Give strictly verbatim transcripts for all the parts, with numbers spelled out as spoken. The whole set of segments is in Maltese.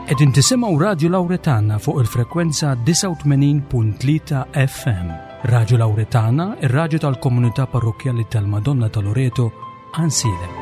Qegħdin tisimgħu Radju Lawretana fuq il-frekwenza disgħa u tmenin punt tlieta F M. Radju Lawretana, ir-radju tal-komunità parrokkjali tal-Madonna ta' Loreto, Għajnsielem.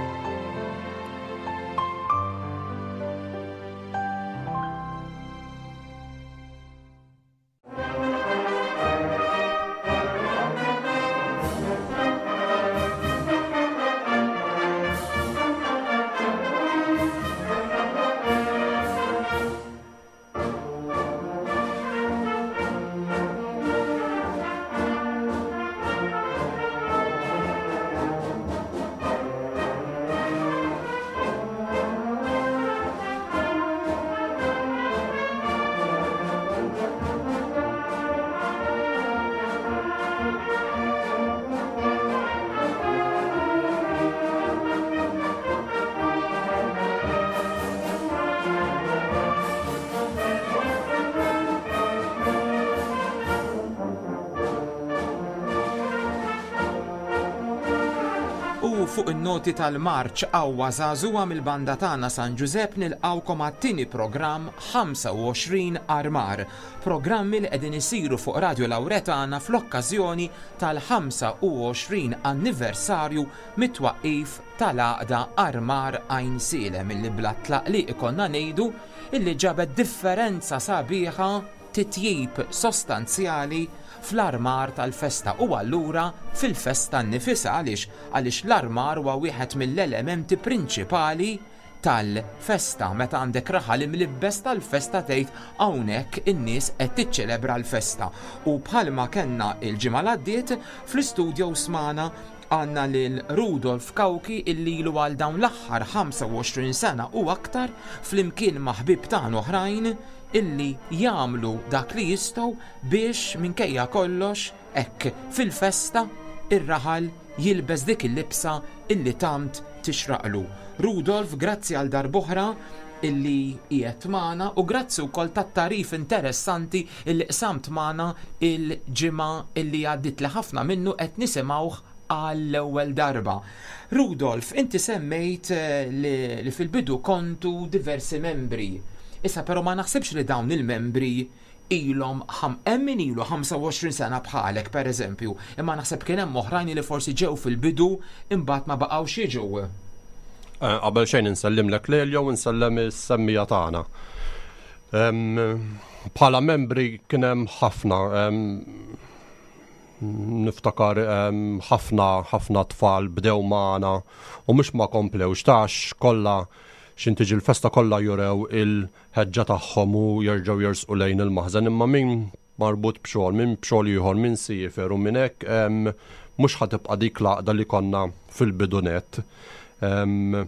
Fuq in-noti tal-marċ qawwa żagħżugħa mill-banda tagħna San Ġużepp nilqgħukom għat-tieni programm ħamsa u għoxrin Armar, programmi li qegħdin isiru fuq Radio Lawretana fl-okkażjoni tal-ħamsa u għoxrin anniversarju mit-twaqqif tal-għaqda Armar Għajnsielem, illi bla tlaqliq ikollna ngħidu illi ġabet differenza sabiħa, titjib sostanzjali fl-armar tal-festa u allura fil-festa nnifisha. Għaliex? Għaliex l-armar huwa wieħed mill-elementi prinċipali tal-festa. Meta għandek raħal imlibbes tal-festa tgħid hawnhekk in-nies qed tiċċelebra l-festa. U bħalma kellna l-ġimgħa l-għaddiet fl-istudio smana għandna lil Rudolf Cauchi illi ilu għal dawn l-aħħar ħamsa u għoxrin sena u aktar flimkien ma' ħbieb tagħna oħrajn illi jagħmlu dak li jistgħu biex minkejja kollox hekk fil-festa ir-raħal jilbes dik il-libsa illi tant tixraqlu. Rudolf, grazzi għal darb'oħra illi qiegħed magħna u grazzi wkoll tat-tarif interessanti illi qsamt magħna il-ġimgħa illi għaddiet li ħafna minnu qed nisimgħuh għall-ewwel darba. Rudolf, inti semmejt, eh, li, li fil-bidu kontu diversi membri. Issa però ma naħsibx li dawn il-membri ilhom ħam-, hemm min ilu ħamsa u għoxrin sena bħalek pereżempju, imma naħseb kien hemm oħrajn li forsi ġew fil-bidu imbagħad ma baqgħux jiġu. Eh, qabel xejn insellimlek lejl jew insellem is-semmija tagħna. Em, bħala membri kien hemm ħafna, em, niftakar, em, ħafna, ħafna tfal bdew magħna u mhux ma komplewx tax kollha x'in tiġi l-festa kollha jurew il-ħeġġa tagħhom u jerġgħu jersqu lejn il-maħżen, imma min marbut b'xogħol, min b'xogħol ieħor, min siefer u minn hekk, em, mhux ħa tibqa' dik l-għaqda li konna fil-bidu nett. Em,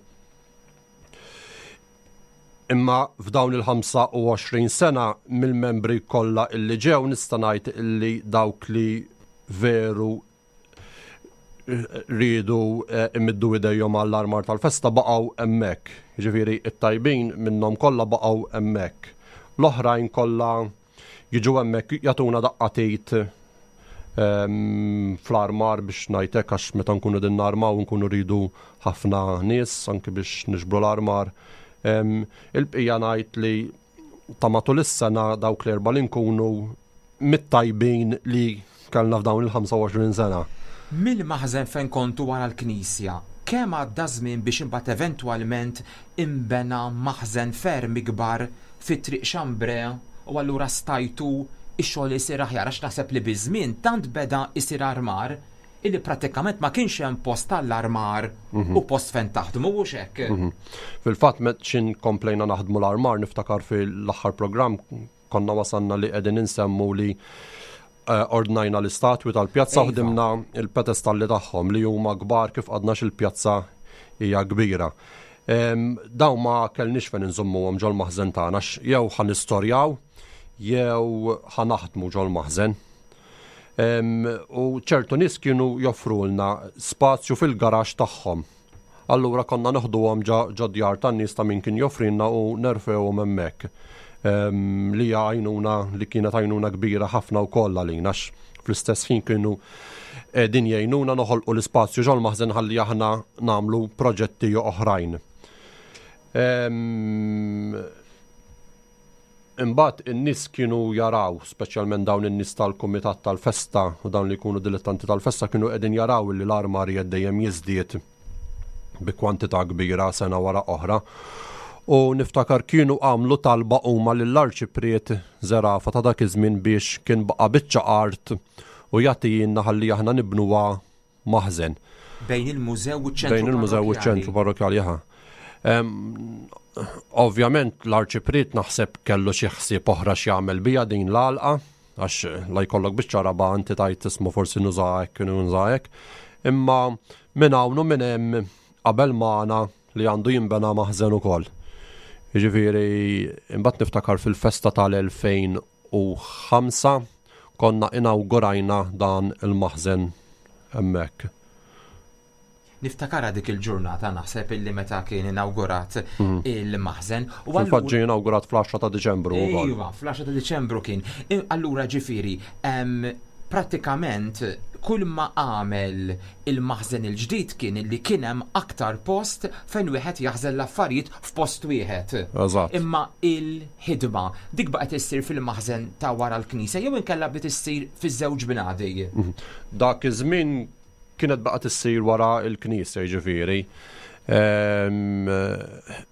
imma f'dawn il-ħamsa u għoxrin sena mill-membri kollha illi ġew nista' ngħid illi dawk li veru rridu, eh, imiddu idejhom għall-armar tal-festa baqgħu hemmhekk. Jiġifieri it-tajbin minnhom kollha baqgħu hemmhekk. L-oħrajn kollha jiġu hemmhekk jagħtuna daqqatit, ehm, fl-armar biex ngħidlek, għax meta nkunu din narmaw nkunu rridu ħafna nies anke biex niġbru l-armar. Ehm, il-bqija ngħid li ta' matul is-sena dawk l-erba' li nkunu mit-tajbin li kellna f'dawn il-ħamsa u għoxrin sena. Mill-maħżen fejn kontu wara l-knisja, kemm għadda żmien biex imbagħad eventwalment imbena maħżen ferm ikbar fi Triq Xambrea u allura stajtu ix-xogħol isir aħjar, għax naħseb li biż-żmien tant beda isir armar illi prattikament ma kienx hemm post tal-armar Mhm. u post fejn taħdmu, mhux hekk? Mhm. Fil-fatt met xin komplejna naħdmu l-armar, niftakar fil-aħħar programm konna wasalna li qegħdin insemmu li, eh, ordnajna l-istatwi tal-pjazza u Iva. ħdimna il-pedestalli tagħhom li huma kbar kif għadna x'il-pjazza hija kbira. Em, dawn ma kellniex fejn inżommuhom ġol-maħżen tagħna, għax jew ħa nistorjaw jew ħa naħdmu ġol-maħżen. Em, u ċertu nies kienu joffrulna spazju fil-garax tagħhom. Allura konna noħduhom ġo, ġo djar tan-nies ta' min kien joffrilna u nerfewhom hemmhekk. Em, li hija għajnuna li kienet għajnuna kbira ħafna wkoll għalina, għax fl-istess ħin kienu qegħdin jgħinuna noħolqu l-ispazju ġol-maħżen ħalli aħna nagħmlu proġetti oħrajn. Em, Imbagħad in-nies kienu jaraw, speċjalment dawn in-nies tal-kumitat tal-festa u dawn li jkunu dilettanti tal-festa, kienu qegħdin jaraw li l-armar dejjem jiżdied bi kwantità kbira sena wara oħra. U niftakar kienu għamlu talba huma lill-Arċipriet Zerafa ta' dak iż-żmien biex kien baqa' biċċa art u jagħtina ħalli aħna nibnuha maħżen. Bejn il-mużew u ċ-ċentru. Bejn il-mużew u ċ-ċentru parrokkjali, aha. Ovvjament l-Arċipriet naħseb kellu xi ħsieb oħra x'jagħmel bija din l-għalqa, għax la jkollok biċċa raba' inti tajt ismu forsi nuża hekk, nuża hekk. Imma minn hawn u minn hemm qabel magħna li għandu jinbena maħżen ukoll. Jiġifieri imbagħad niftakar fil-festa tal-elfejn u ħamsa konna inawgurajna dan il-maħżen hemmhekk. Niftakara dik il-ġurnata, naħseb illi meta kien inawgurat Mhm. il-maħżen. U Fil-fatt allura- ġie inawgurat fl-għaxra ta' Diċembru wkoll. Iva, fl-għaxra ta' Diċembru kien. I- Allura ġifieri, em, prattikament kull ma għamel il-maħżen il-ġdid kien li kien hemm aktar post fejn wieħed jaħżen l-affarijiet f'post wieħed. Eżatt. Imma il-ħidma dik baqgħet issir fil-maħżen ta' wara l-knisja jew inkella bdiet issir fiż-żewġ binadi. Mhm. Dak iż-żmien kienet baqgħet issir wara l-knisja, jiġifieri. Ehm,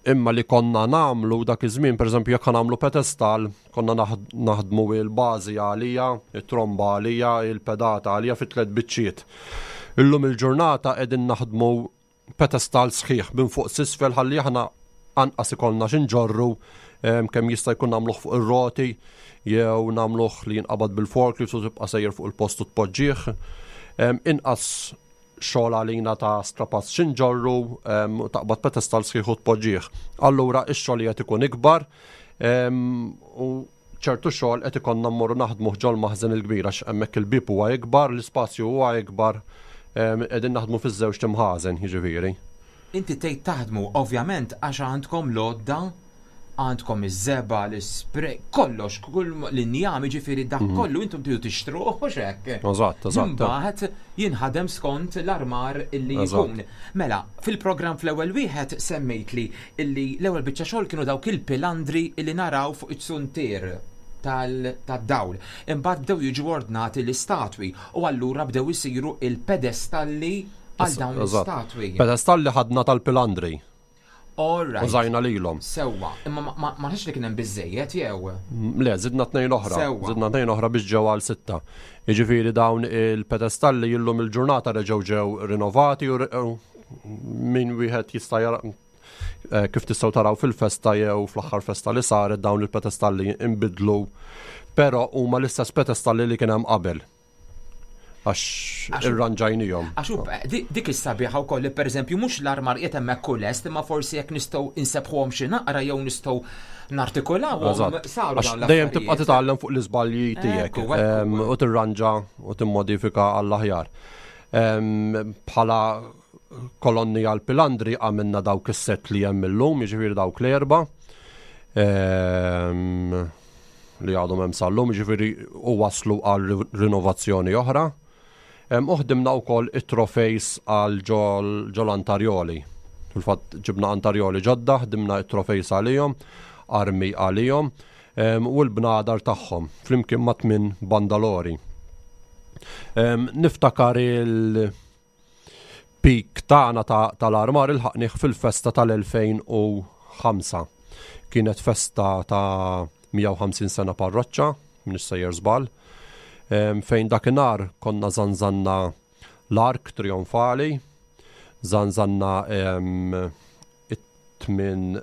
imma li konna nagħmlu dak iż-żmien, pereżempju jekk nagħmlu pedestal, konna naħd-, naħdmu il-bażi għalija, it-tromba għalija, il-pedata għalija fi tliet biċċiet. Illum il-ġurnata qegħdin naħdmu pedestal sħiħ minn fuq s'isfel ħalli aħna anqas ikollna x'inġorru, ehm, kemm jista' jkun nagħmluh fuq ir-roti jew nagħmluh li jinqabad bil-forklift u tibqa' sejjer fuq il-post u tpoġġih. Ehm, inqas xogħol għalina ta' strapazz x'inġorru, ehm, u taqbad pedestal sħiħ u tpoġġih. Allura ix-xogħol qed ikun ikbar, ehm, u ċertu xogħol qed ikollna mmorru naħdmu ġol maħżen il-kbir għax hemmhekk il-bieb huwa ikbar, l-ispazju huwa ikbar, ehm, qegħdin naħdmu fiż-żewġ timħażen, jiġifieri. Inti tgħid taħdmu ovvjament għax għandkom l-għodda, għandkom iż-żebgħa, l-ispray, kollox, kull l-injam, jiġifieri dak Mhm. kollu intom tridu tixtruh, mhux hekk? Eżatt, eżatt. Imbagħad jinħadem skont l-armar illi Eżatt. jkun. Mela, fil-programm fl-ewwel wieħed semmejt li illi l-ewwel biċċa xogħol kienu dawk il-pilandri illi naraw fuq it-suntier tal-, tad-dawl. Imbagħad bdew jiġu ordnati l-istatwi u allura bdew isiru il-pedestalli għal dawn Eżatt. l-istatwi. Pedestalli ħadna tal-pilandri. All right. Użajna lilhom. Sewwa, imma ma, ma, ma nafx li kien hemm biżejjed jew. Le, zidna tnejn oħra. Sewwa. Zidna tnejn oħra biex ġew għal sitta. Jiġifieri dawn il-pedestalli illum il-ġurnata reġgħu ġew rinnovati u re-, u min wieħed jista' jara, eh, kif tistgħu taraw fil-festa jew fl-aħħar festa li saret dawn il-pedestalli inbidlu, però huma l-istess pedestalli li kien hemm qabel. Għax Għax- irranġajnihom. Għax hu, di-, dik is-sabiħa wkoll li pereżempju mhux l-armar qiegħed hemmhekk kull est, imma forsi jekk nistgħu insebħuhom xi naqra jew nistgħu nartikolawhom, Eżatt. saru Għax dawn dejjem tibqa' l-affarijiet. titgħallem fuq l-iżbalji tiegħek, Ekku, ekku. em, u tirranġa u timmodifika għall-aħjar. Em, bħala kolonni għal pilandri għamilna dawk is-set li hemm illum, jiġifieri dawk l-erba'. Em, li għadhom hemm sal-lum, jiġifieri u waslu għal ri-, rinnovazzjoni oħra. Em, u ħdimna wkoll it-trofejs għal ġol, ġol antarjoli. Fil-fatt ġibna antarjoli ġodda, ħdimna it-trofejs għalihom, armi għalihom, em, u l-bnadar tagħhom flimkien ma' tmien bandalori. Em, niftakar il-pik tagħna ta-, tal-armar ilħaqnih fil-festa tal-elfejn u ħamsa. Kienet festa ta' mija u ħamsin sena parroċċa, m'iniex sejjer żball, em, fejn dakinhar konna zanzanna l-ark trionfali, zanzanna, em, it-tmin,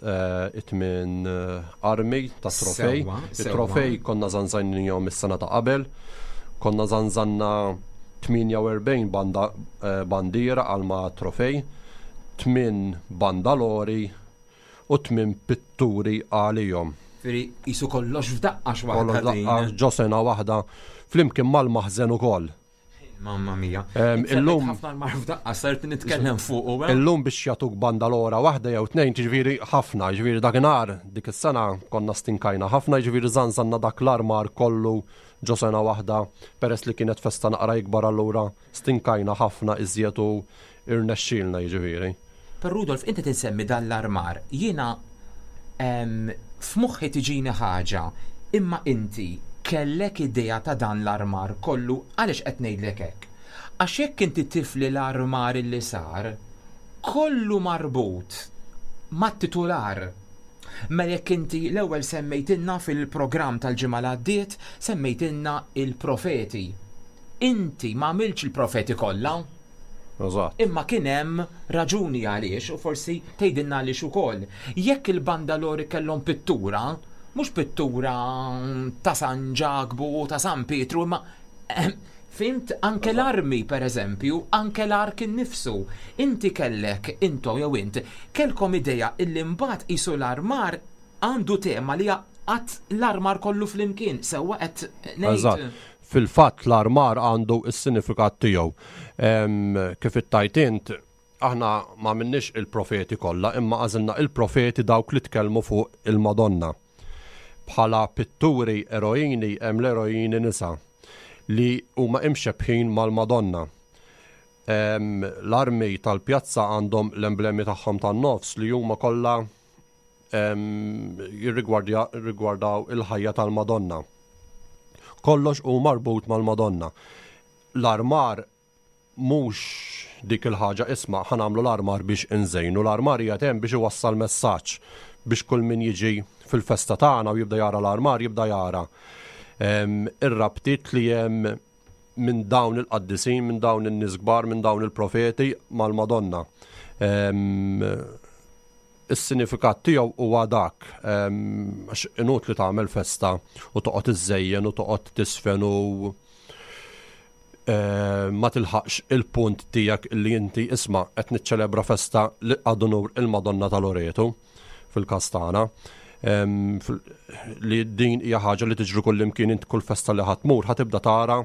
eh, it-tmin, eh, armi ta' trofej. Sewwa, It-trofej sewwa. konna zanzannihom is-sena ta' qabel, konna zanzanna tmienja u erbgħin banda, eh, bandiera għal ma' trofej, tmien bandalori u tmien pitturi għalihom. Firi, jisu kollox f'daqqa x'waħda Kollox din. f'daqqa ġo sena waħda flimkien mal-maħżen ukoll. Mamma mia. Em, Inti illum ħafna l-mar f'daqqa sart nitkellem fuq, eh? Illum biex jagħtuk bandalora waħda jew tnejn, jiġifieri ħafna, jiġifieri dakinhar dik is-sena konna stinkajna ħafna, jiġifieri żanżanna dak l-armar kollu ġo sena waħda, peress li kienet festa naqra ikbar allura stinkajna ħafna iżjed u irnexxielna jiġifieri. Per Rudolf, inti tinsemmi dan l-armar, jiena F'moħħi tiġini ħaġa, imma inti kellek idea ta' dan l-armar kollu? Għaliex qed ngħidlek hekk? Għax jekk inti tifli l-armar li sar, kollu marbut mat-titular. Mela jekk inti l-ewwel semmejtilna fil-programm tal-ġimgħa li għaddiet, semmejtilna il-profeti. Inti ma għamiltx il-profeti kollha. Eżatt. Imma kien hemm raġuni għaliex, u forsi tgħidilna għaliex ukoll. Jekk il-bandalori kellhom pittura, mhux pittura ta' San Ġakbu u ta' San Pietru, imma fhimt, anke l-armi per eżempju, anke l-ark innifsu. Inti kellek, intom jew int, kellkom idea illi mbagħad qisu l-armar għandu tema li għat l-armar kollu flimkien, sewwa qed ngħid? Eżatt. Fil-fatt l-armar għandu s-sinifikat tiegħu. Kif ittajt int, aħna ma minnix il-profeti kollha, imma għażilna il-profeti dawk li tkellmu fuq il-Madonna. Bħala pitturi eroini hemm l-eroini nisa li huma imxebħin mal-Madonna. L-armi tal-pjazza għandhom l-emblemi tagħhom tan-nofs li huma kollha jirrigwardaw il-ħajja tal-Madonna. Kollox hu marbut mal-Madonna. L-armar mhux dik il-ħaġa isma' ħa nagħmlu l-armar biex inżejnu, l-armar qiegħed hemm biex iwassal messaġġ biex kull min jiġi fil-festa tagħna u jibda jara l-armar jibda jara ir-rabtiet li hemm minn dawn il-qaddisin, minn dawn in-nies kbar, minn dawn il-profeti mal-Madonna. Is-sinifikat tiegħu huwa dak, għax inutli tagħmel festa u toqgħod iżżejjen u toqgħod tisfen u ma tilħaqx il-punt tiegħek li inti isma' qed niċċelebra festa li għadu nur il-Madonna ta' Loreto fil-każ tagħna. Li din hija ħaġa li tiġri kull imkien, int kull festa li ħa tmur ħa tibda tara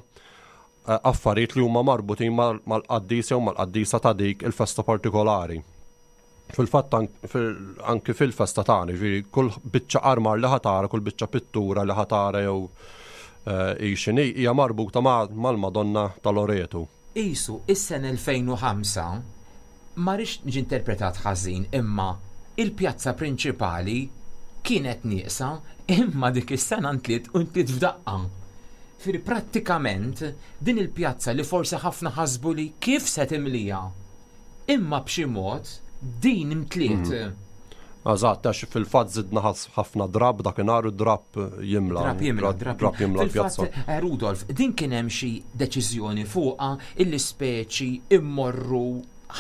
affarijiet li huma marbutin mal-qaddis jew mal-qaddisa ta' dik il-festa partikolari. Fil-fatt anki fil-festa tagħna, ġifieri kull biċċa armar li ħa tara, kull biċċa pittura li ħa tara jew hi x'inhi hija marbuta mal-Madonna ta' Loreto. Isu, is-sena elfejn u ħamsa ma rridx niġi interpretat ħażin, imma il-pjazza prinċipali kienet nieqsa, imma dik is-sena ntliet u ntliet f'daqqa. Firi prattikament din il-pjazza li forsi ħafna ħasbu li kif se timlija, imma b'xi mod din imtliet. Eżatt, għax fil-fatt żidna ħafna drab dakinhar u drab jimla. Drab jimla, drab Drab jimla Fil-fatt, l-pjazza. eh, Rudolf, din kien hemm xi deċiżjoni fuqha illi speċi immorru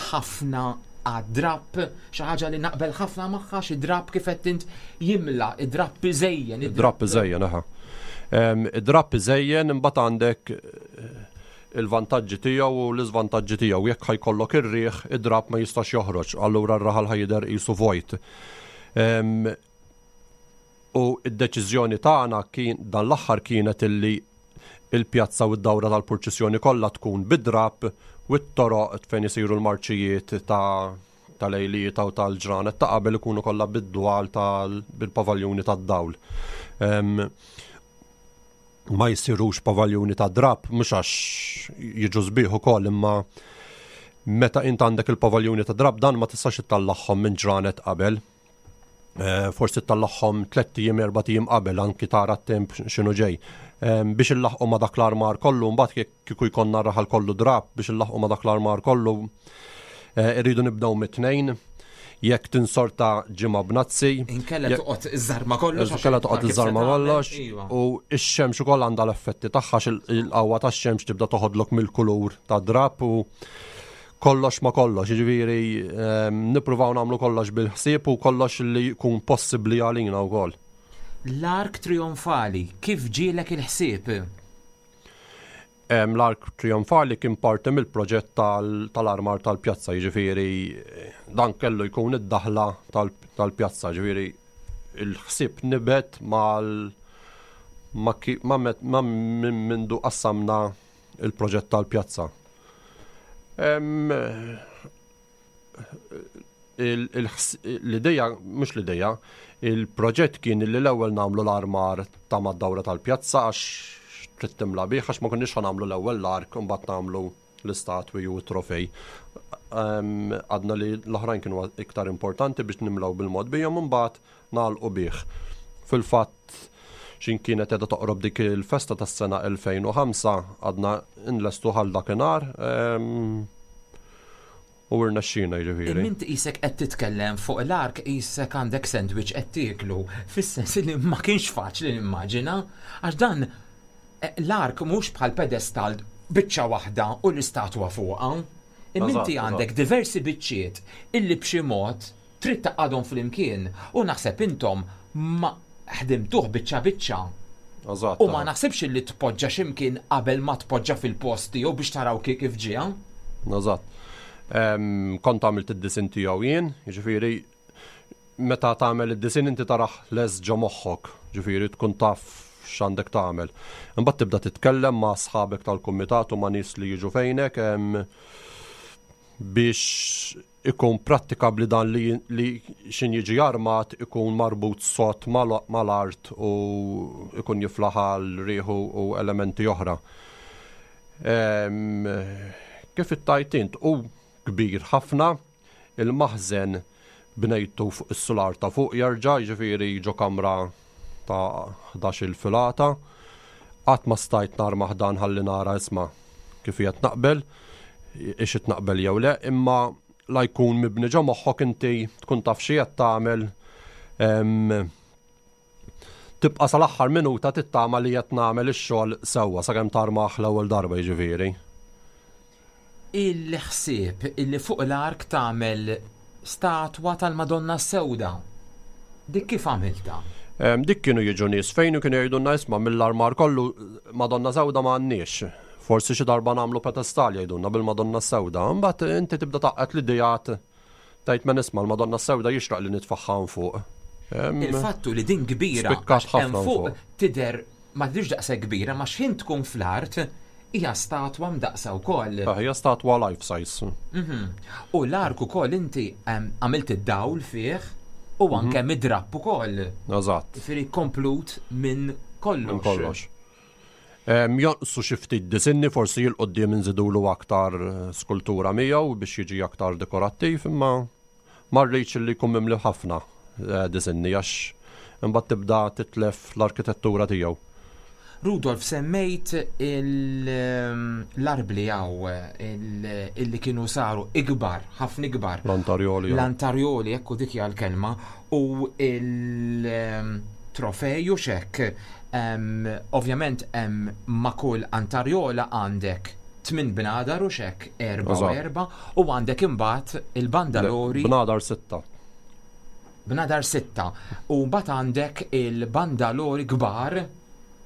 ħafna għad-drab, xi ħaġa li naqbel ħafna magħha, xi drab kif qed int jimla, id-drab iżejjen, Id-drab iżejjen, aha. Em, Id-drab iżejjen, imbagħad għandek, eh, il-vantaġġi tiegħu u l-iżvantaġġi tiegħu. Jekk ħajkollok ir-riħ, id-drab ma jistax joħroġ, allura r-raħal ħajder qisu vojt. Em, u id-deċiżjoni tagħna kien dan l-aħħar kienet illi il-pjazza u d-dawra tal-purċissjoni kollha tkun bid-drab u t-toroq fejn isiru l-marċijiet ta' tal-lejliet u tal-ġranet ta' qabel ikunu kollha bid-dwal tal-, bil-pavaljuni tad-dawl. Em, ma jsirux pavaljuni ta' drab, mhux għax jiġu sbieħ ukoll, imma meta int għandek il-pavaljuni ta' drab dan ma tistax ittallagħhom minn ġranet qabel. Eh, forsi ttallagħhom tlett ijiem, erbat ijiem qabel, anki tara t-temp x'inhu ġej. Em, biex illaħqu ma' dak l-armar kollu, mbagħad jekk kieku jkollna raħal kollu drab biex illaħqu ma' dak l-armar kollu, eh, irridu nibdew mit-tnejn. Jekk tinsorta ġimgħa b'nazzi, Inkella jekk toqgħod iż-żarma kollox, għax Inkella toqgħod kif se iż-żarma tagħmel, kollox, iva. u x-xemx ukoll għandha l-effetti tagħha, għax il-, il-qawwa tax-xemx tibda toħodlok mill-kulur ta' drab u kollox ma kollox, jiġifieri, ehm, nippruvaw nagħmlu kollox bil-ħsieb u kollox li jkun possibbli għalina wkoll. L-ark trionfali, kif ġielek il-ħsieb? Em, l-ark trionfali kien parti mill-proġett tal-, tal-armar tal-pjazza, jiġifieri dan kellu jkun id-daħla tal-, tal-pjazza, jiġifieri il-ħsieb nibet mal ma ki-, ma met-, ma minn mindu qassamna il-proġett tal-pjazza. Em, il-, il-ħs-, l-ideja, mhux l-ideja, il-proġett kien li l-ewwel nagħmlu l-armar ta' mad-dawra tal-pjazza għax trid timla bih, għax ma konniex ħa nagħmlu l-ewwel l-ark u mbagħad nagħmlu l-istatwi u t-trofej. Għadna li l-oħrajn kienu iktar importanti biex nimlaw bil-mod bijom, imbagħad nagħlqu bih. Fil-fatt xin kienet edha toqrob dik il-festa tas-sena elfejn u ħamsa, għadna nlestu ħal dakinhar u rnexxina jiġifieri. Imma inti qisek qed titkellem fuq l-ark, qisek għandek sandwich qed tieklu, fis-sens li ma kienx faċli nimmaġina, għax dan l-ark mhux bħal pedestal biċċa waħda u l-istatwa fuqha. Imma inti għandek diversi biċċiet illi b'xi mod trid taqgħadhom flimkien u naħseb intom ma ħdimtuh biċċa biċċa. Eżatt. U ma naħsibx illi tpoġġa x'imkien qabel ma tpoġġa fil-post tiegħu biex taraw kif ġie. Eżatt. Kont għamilt id-disin tiegħu jien, jiġifieri meta tagħmel id-disin inti taraħ les ġo moħħok, jiġifieri tkun taf x'għandek tagħmel. Imbagħad tibda titkellem ma' sħabek tal-kumitat u ma' nies li jiġu fejnek biex ikun prattikabli dan li, li xin jiġi armat ikun marbut sot mal-, mal-art u ikun jiflaħ għal riħu u elementi oħra. Em, kif ittajt int, u kbir ħafna, il-maħżen bnejtu fuq is-sular ta' fuq jerġa', jiġifieri ġo kamra ta' ħdax-il filata. Qatt ma stajt narmaħ dan ħalli nara isma' kif qed naqbel, ix qed naqbel jew le, imma la jkun mibni ġo moħħok inti tkun taf xi qed tagħmel, em, tibqa' sal-aħħar minuta tittama li qed nagħmel ix-xogħol sewwa sakemm tarmaħ l-ewwel darba jiġifieri. Il-ħsieb illi fuq l-ark tagħmel statwa tal-Madonna Sewda, dik kif għamilta? Em, dik kienu jiġu nies fejn u kienu jgħidulna isma' mill-armar kollu Madonna Sewda ma għandniex. Forsi xi darba nagħmlu pedestal jgħidulna bil-Madonna Sewda. Imbagħad inti tibda taqqet l-idejat tgħid ma nisma' l-Madonna Sewda jixraq li nitfaħħa fuq. Em, Il-fattu li din kbira, spikkat għax hemm ħafna fuq fuq. tidher ma tidhirx daqshekk kbira, ma x'ħin tkun fl-art hija statwa mdaqsa wkoll. Ah, hija statwa life size. Mhm. U l-ark ukoll inti, em, għamilt id-dawl fih u anke Mhm. mid-drapp ukoll. Eżatt. Jiġifieri komplut minn kollox. Minn kollox. Em, jonqsu xi ftit disinni, forsi jil quddiem inżidulu aktar, eh, skultura miegħu biex jiġi aktar dekorattiv, imma ma rridx li jkun mimli ħafna, eh, disinni għax imbagħad tibda titlef l-arkitettura tiegħu. Rudolf, semmejt il-, ehm, l-arbli għaw, il-, illi kienu saru ikbar, ħafna ikbar. L-antarjoli, ja. L-antarjoli, ekku dik hija l-kelma, u il-, ehm, trofej u xek. Em, ovvjament, em, ma' kull antarjola għandek tmien bnadar u xek, erba' u Eżatt. erba', u għandek imbagħad il-bandalori. Bnadar sitta. Bnadar sitta. U mbagħad għandek il-bandalori kbar,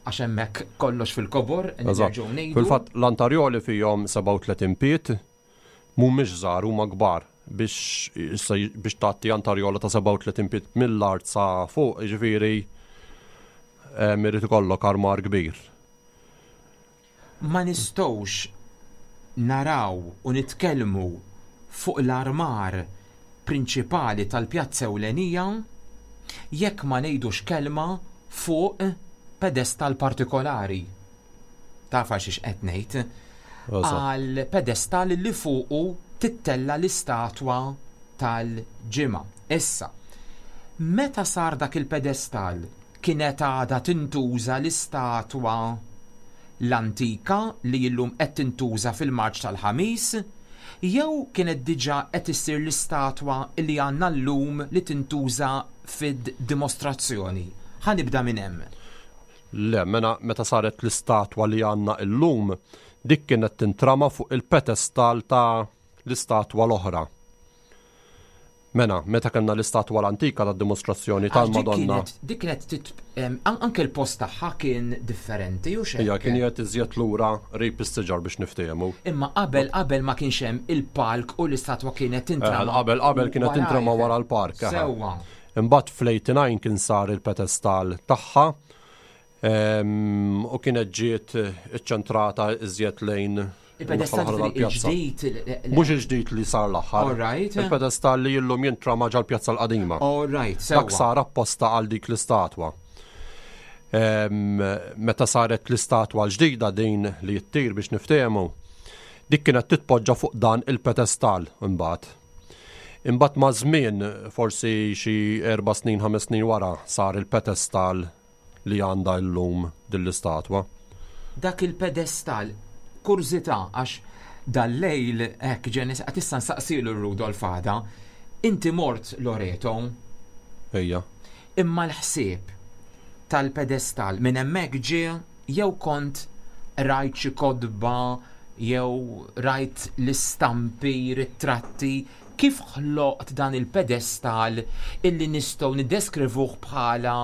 għax hemmhekk kollox fil-kobor, Eżatt. nerġgħu ngħidu. Fil-fatt l-antarjoli fihom sebgħa u tletin piet, mhumiex żgħar, huma kbar biex issa biex tagħti antarjola ta' sebgħa u tletin piet mill-art sa fuq, jiġifieri, em, irid ikollok armar kbir. Ma nistgħux naraw u nitkellmu fuq l-armar prinċipali tal-pjazza ewlenija jekk ma ngħidux kelma fuq pedestal partikolari. Taf għal xiex qed ngħid? Eżatt. Għal pedestal li fuqu tittella l-istatwa tal-ġimgħa. Issa, meta sar dak il-pedestal kienet għadha tintuża l-istatwa l-antika li illum qed tintuża fil-marċ tal-ħamis, jew kienet diġà qed issir l-istatwa li għandna llum li tintuża fid-dimostrazzjoni? Ħa nibda minn hemm. Le, mena meta saret l-istatwa li għandna illum, dik kienet tintrama fuq il-pedestal ta' l-istatwa l-oħra. Mena, meta kellna l-istatwa l-antika tad dimostrazzjoni Għax dik tal-Madonna. kienet, dik kienet tit-, em, an-, anke l-post tagħha kien differenti u xejn. Ija, kien qed iżjed lura qrib is-siġar biex niftehmu. Imma qabel, qabel ma kienx hemm il-palk u l-istatwa kienet tintrama. Eh, qabel, qabel kienet warajh. tintrama wara l-park, aha. Sewwa. Imbagħad fl-eighty-nine kien sar il-pedestal tagħha, em, u kienet ġiet iċċentrata iżjed lejn Il-pedestal l-aħħar tal-pjazza. il-ġdid, il-, il-, Mhux il-ġdid li sar l-aħħar. All right. Il-pedestal li illum jintrama ġal-pjazza l-qadima. All right, Dak sewwa. sar apposta għal dik l-istatwa. Em, meta saret l-istatwa l-ġdida din li jittir biex niftehmu, Dik kienet titpoġġa fuq dan il-pedestal imbagħad. Imbagħad ma' żmien, forsi xi erba' snin, ħames snin wara, sar il-pedestal li għandha llum din l-istatwa. Dak il-pedestal, kurżità, għax dal-lejl hekk ġenis qed issa nsaqsilu Rudolf għada, inti mort Loreto? Ejja. Imma l-ħsieb tal-pedestal minn hemmhekk ġie jew kont rajt xi kotba jew rajt l-istampi, ritratti, kif ħloqt dan il-pedestal illi nistgħu niddeskrivuh bħala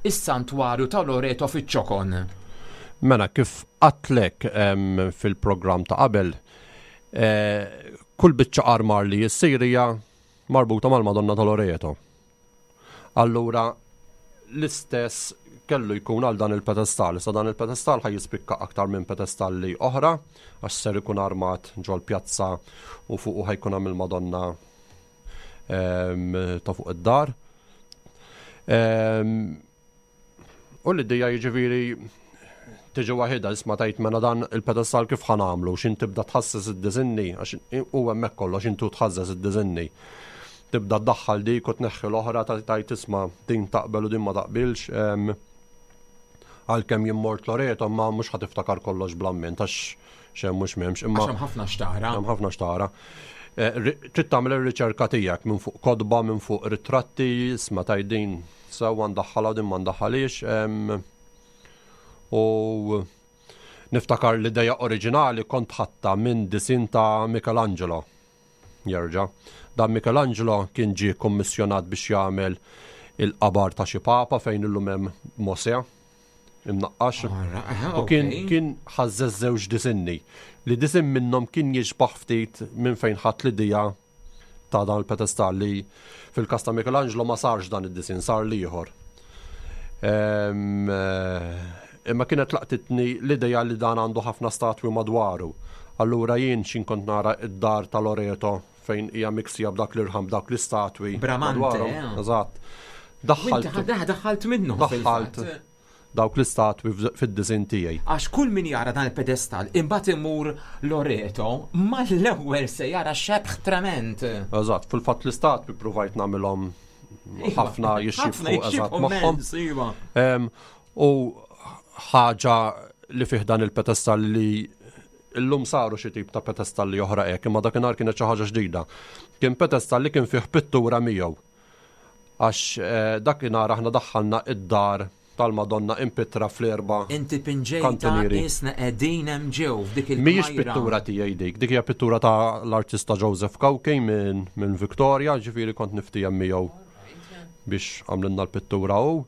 is-santwarju ta' Loreto fiċ-ċokon? Mela, kif għedtlek fil-programm ta' qabel, eh, kull biċċa armar li jissir hija marbuta mal-Madonna ta' Loreto. Allura, l-istess kellu jkun għal dan il-pedestal. Issa dan il-pedestal ħa jispikka aktar minn pedestalli oħra, għax ser ikun armat ġol pjazza u fuq ħa jkun hemm il-Madonna ta' fuq id-dar. U l-idea jiġifieri tiġi waħida, isma' tajt mela dan il-pedestal kif ħa nagħmlu, xin tibda tħasses id-diżinni, għax u hemmhekk kollox intu tħasses id-diżinni. Tibda tdaħħal dik u tneħħi l-oħra, tajt isma' din taqbel u din ma taqbilx. Għalkemm jien mort Loreto, ma mhux ħa tiftakar kollox bl-amment, għax xem mhux m'hemmx. Imma Għax hemm ħafna xtara. Hemm ħafna xtara. Eh, trid tagħmel ir-riċerka tiegħek minn fuq kotba, minn fuq ritratti, isma' tgħid din sewwa ndaħħalha u din ma ndaħħalix. U niftakar l-ideja oriġinali kont ħadtha minn disin ta' Michelangelo. Jerġa'. Dan Michelangelo kien ġie kommissjonat biex jagħmel il-qabar ta' xi papa fejn illum hemm Mosè imnaqqax. U kien kien ħażżeż żewġ disinni. Li disin minnhom kien jixbaħ ftit minn fejn ħadd l-idea ta' dan il-pedestal li fil-każ ta' Michelangelo ma sarx dan id-disin, sar l-ieħor. Imma kienet laqtitni l-idea li dan għandu ħafna statwi madwaru. Allura jien xin kont nara id-dar ta' Loreto fejn hija miksija b'dak l-irħam, b'dak l-istatwi. Bramante, eh. Eżatt. Daħħalt daħħalt minnu. Daħħalt dawk l-istatwi fid-disin tiegħi. Għax kull min jara dan il-pedestal imbagħad imur Loreto mal-ewwel se jara xebħ trement. Eżatt, fil-fatt l-istatwi provajt nagħmilhom ħafna jixxibħu eżatt magħhom. Iva. U ħaġa li fih dan il-pedestal li illum saru xi tip ta' pedestal li oħra hekk, imma dakinhar kienet xi ħaġa ġdida. Kien pedestal li kien fih pittura miegħu. Għax dakinhar aħna daħħalna id-dar tal-Madonna impittra fl-erba' Inti pinġejta isna qegħdin hemm ġew f'dik il Mhijiex pittura tiegħi dik, dik hija pittura ta' l-artista Joseph Cauchi minn min Victoria, ġifieri kont niftijem miegħu biex għamlilna l-pittura hu.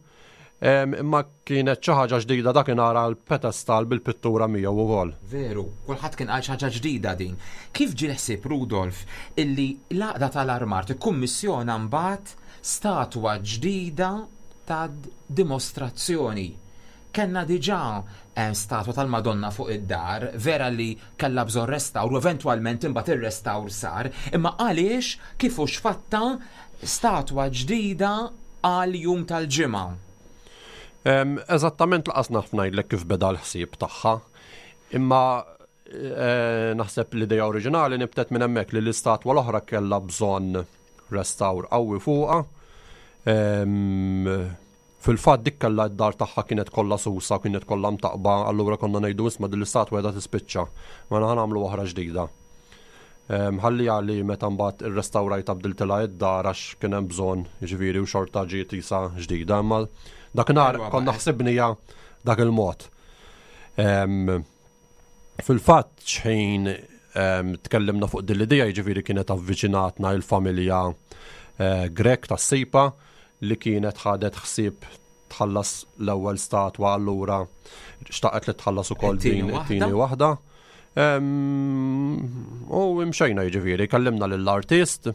Imma kienet xi ħaġa ġdida dakinhar l-pedestal bil-pittura miegħu ukoll. Veru, kulħadd kien qal xi ħaġa ġdida din. Kif ġie ħsieb Rudolf illi l-għaqda tal-armar tikkummissjona mbagħad statwa ġdida ta' dimostrazzjoni? Kellna diġà statwa tal-Madonna fuq id-dar, vera li kellha bżonn restawr u eventwalment imbagħad ir-restawr sar, imma għaliex kif hux fatta statwa ġdida għal jum tal-ġimgħa? Eżattament laqas naf ngħidlek kif beda l-ħsieb tagħha, imma naħseb l-idea oriġinali nibtet minn hemmhekk li l-istatwa l-oħra kellha bżonn restawr qawwi fuqha. Fil-fatt dik kellha d-dar tagħha kienet kollha susa, kienet kollha mtaqba, allura konna ngħidu isma' din l-istatwa qiegħda tispiċċa, ma ħa nagħmlu oħra ġdida. Ħalli għali meta mbagħad irrestawrajta bdiltilha id-dar għax kien hemm bżonn, jiġifieri u xorta ġiet isa ġdida, imma dakinhar konna ħsibnija dak il-mod. Fil-fatt xejn tkellimna fuq din l-idea, jiġifieri kienet avviċinatna il-familja Grek tas-Sipa li kienet ħadet ħsieb tħallas l-ewwel statwa, allura xtaqet li tħallas ukoll din it-tieni waħda. U imxejna jiġifieri, kellimna lill-artist,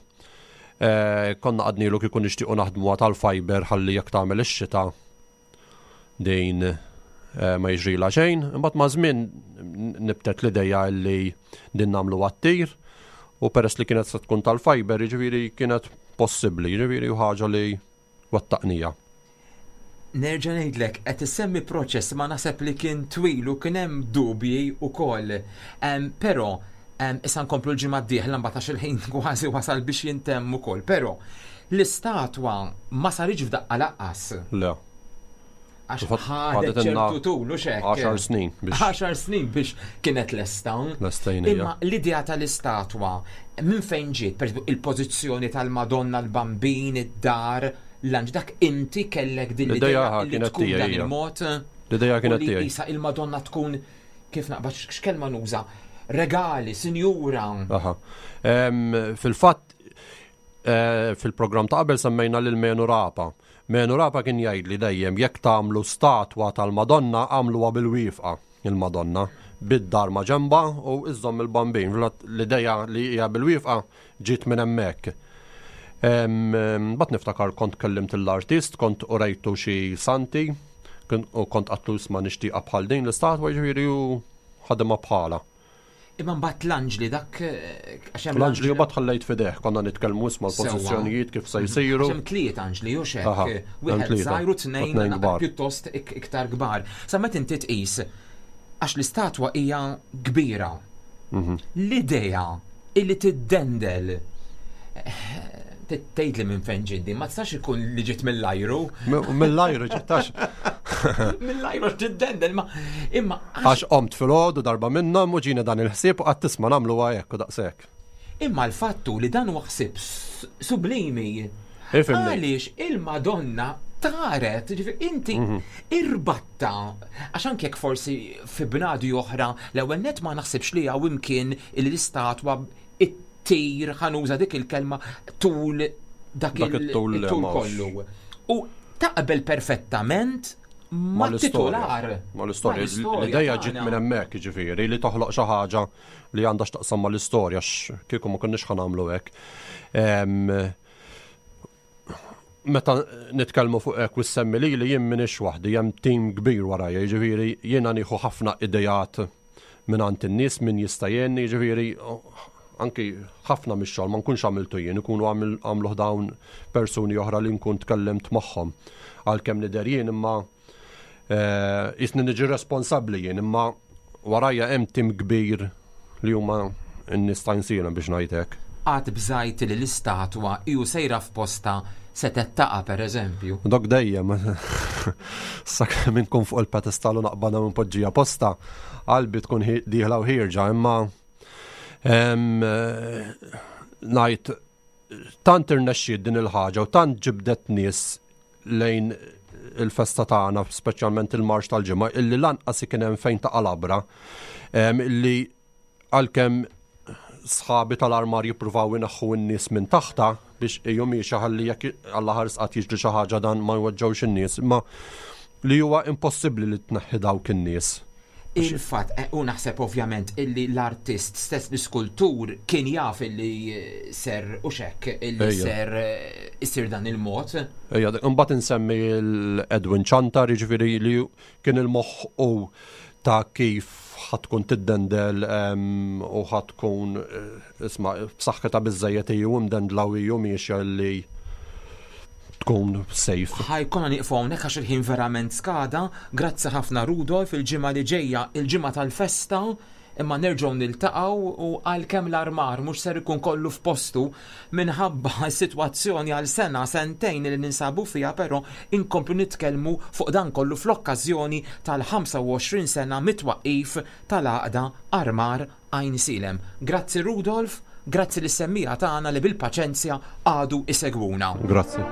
konna għadnilu kieku nixtiequ naħdmuha tal-fiber ħalli jekk tagħmel ix-xita din ma jiġrilha xejn. Imbagħad ma' żmien nibtet l-idea li din nagħmlu għat-tir, u peress li kienet se tkun tal-fiber jiġifieri kienet possibbli, jiġifieri ħaġa li wettaqnija. Nerġa' ngħidlek, qed issemmi proċess ma naħseb li kien twil u kien hemm dubji wkoll. Però Issa nkomplu l-ġimgħa d-dieħla mbagħad għax il-ħin kważi wasal biex jintemm ukoll, però l-istatwa ma saritx f'daqqa lanqas. Le. Għax ħadet ċertu tul u xek. Għaxar snin biex. Għaxar snin biex kienet lesta. Lestejna. Imma l-idea tal-istatwa minn fejn ġiet, per il-pożizzjoni tal-Madonna, l-Bambin, id-dar, l-anġ, dak inti kellek din l-idea li tkun dan il-mod. L-idea kienet tiegħi. Isa il-Madonna tkun kif naqbad x'kelma nuża, regali, sinjura. Aha. Fil-fatt fil-programm ta' qabel semmejna lil Menu Rapa. Menu Rapa kien jgħid li dejjem jekk tagħmlu statwa tal-Madonna għamluha bil-wifqa il-Madonna bid-dar ma' ġemba u iżżomm il-Bambin. L-idea li hija bil-wifqa ġiet minn hemmhekk. Mbagħad niftakar kont kellimt l-artist, kont urejtu xi santi u kont għatlu isma' nixtieqha bħal din l-istatwa, jiġifieri u ħadimha bħala. Imma mbagħad l-anġli dak għax hemm l-anġli u mbagħad ħallejt fideh, konna nitkellmu isma' l-pożizzjonijiet kif se jsiru. Hemm tliet anġli u xek. Wieħed żgħir u tnejn pjuttost iktar kbar. Sa meta inti tqis għax l-istatwa hija kbira. L-idea illi tiddendel tgħidli minn fejn ġiddi, ma tistax ikun li ġiet mill-ajru. Mill-ajru ġittax. Mill-ajru tiddendel, ma imma għax qomt filgħodu darba minnhom u ġieni dan il-ħsieb u qatt tisma' nagħmlu hekk u daqshekk. Imma l-fattu li dan huwa ħsieb sublimi. Għaliex il-Madonna taret, ġifieri inti irbatta, għax anke jekk forsi fi bnadi oħra, l-ewwel net ma naħsibx li hawn imkien l-istatwa tir ħanuża dik il-kelma tul dak il-tul kollu. U taqbel perfettament ma' titular. Ma' l-istorja. L-ideja ġiet minn hemmhekk, jiġifieri li toħloq xi ħaġa li għandha x'taqsam mal-istorja, kieku ma konniex ħanamlu hekk. Meta nitkellmu fuq hekk u ssemmi li li jien m'iniex waħdi, hemm tim kbir warajja, jiġifieri jiena nieħu ħafna idejat minn għand in-nies min jista' jgħinni, jiġifieri anki ħafna mix-xogħol ma nkunx għamiltu jien, ikunu għamluh dawn persuni oħra li nkun tkellimt magħhom. Għalkemm nidher jien imma jisni niġi responsabbli jien, imma warajja hemm tim kbir li huma n-nies ta' Għajnsielem biex ngħid hekk. Qatt bżajt li l-istatwa ju sejra f'posta se tettaqa' pereżempju. Dok dejjem. Sakemm inkun fuq il-pedestal u naqbadha minn poġġija posta, qalbi tkun dieħla u ħierġa, imma ngħid tant irnexxiet din il-ħaġa u tant ġibdet nies lejn il-festa tagħna, speċjalment il-marx tal-ġimgħa, illi lanqas kien hemm fejn taqa' labra, illi għalkemm sħabi tal-armar jippruvaw ineħħu n-nies minn taħta biex ejju miexi ħalli jekk Alla ħares qatt jiġri xi ħaġa dan ma jweġġgħux in-nies, imma li huwa impossibbli li tneħħi dawk in-nies. Il-fatt, u naħseb ovvjament illi l-artist stess, l-iskultur, kien jaf illi ser u xek, illi ser isir dan il-mod. Ejja, imbagħad insemmi l-Edwin Chantar, jiġifieri li kien il-moħħ u ta' kif ħatkun tiddendel u ħatkun isma' b'saħħitha biżżejjed u mdendla u miexja li tkun safe. Ħajkonna nieqfu hawnhekk għax il-ħin verament skada. Grazzi ħafna Rudolf, il-ġimgħa li ġejja, il-ġimgħa tal-festa, imma nerġgħu niltaqgħu u għalkemm l-armar mhux ser ikun kollu f'postu minħabba s-sitwazzjoni għal sena sentejn li ninsabu fiha, però inkomplu nitkellmu fuq dan kollu fl-okkażjoni tal-ħamsa u għoxrin sena mit-twaqqif tal-għaqda Armar Għajnsielem. Grazzi Rudolf, grazzi lis-semmija tagħna li bil-paċenzja għadu isegwuna. Grazzi.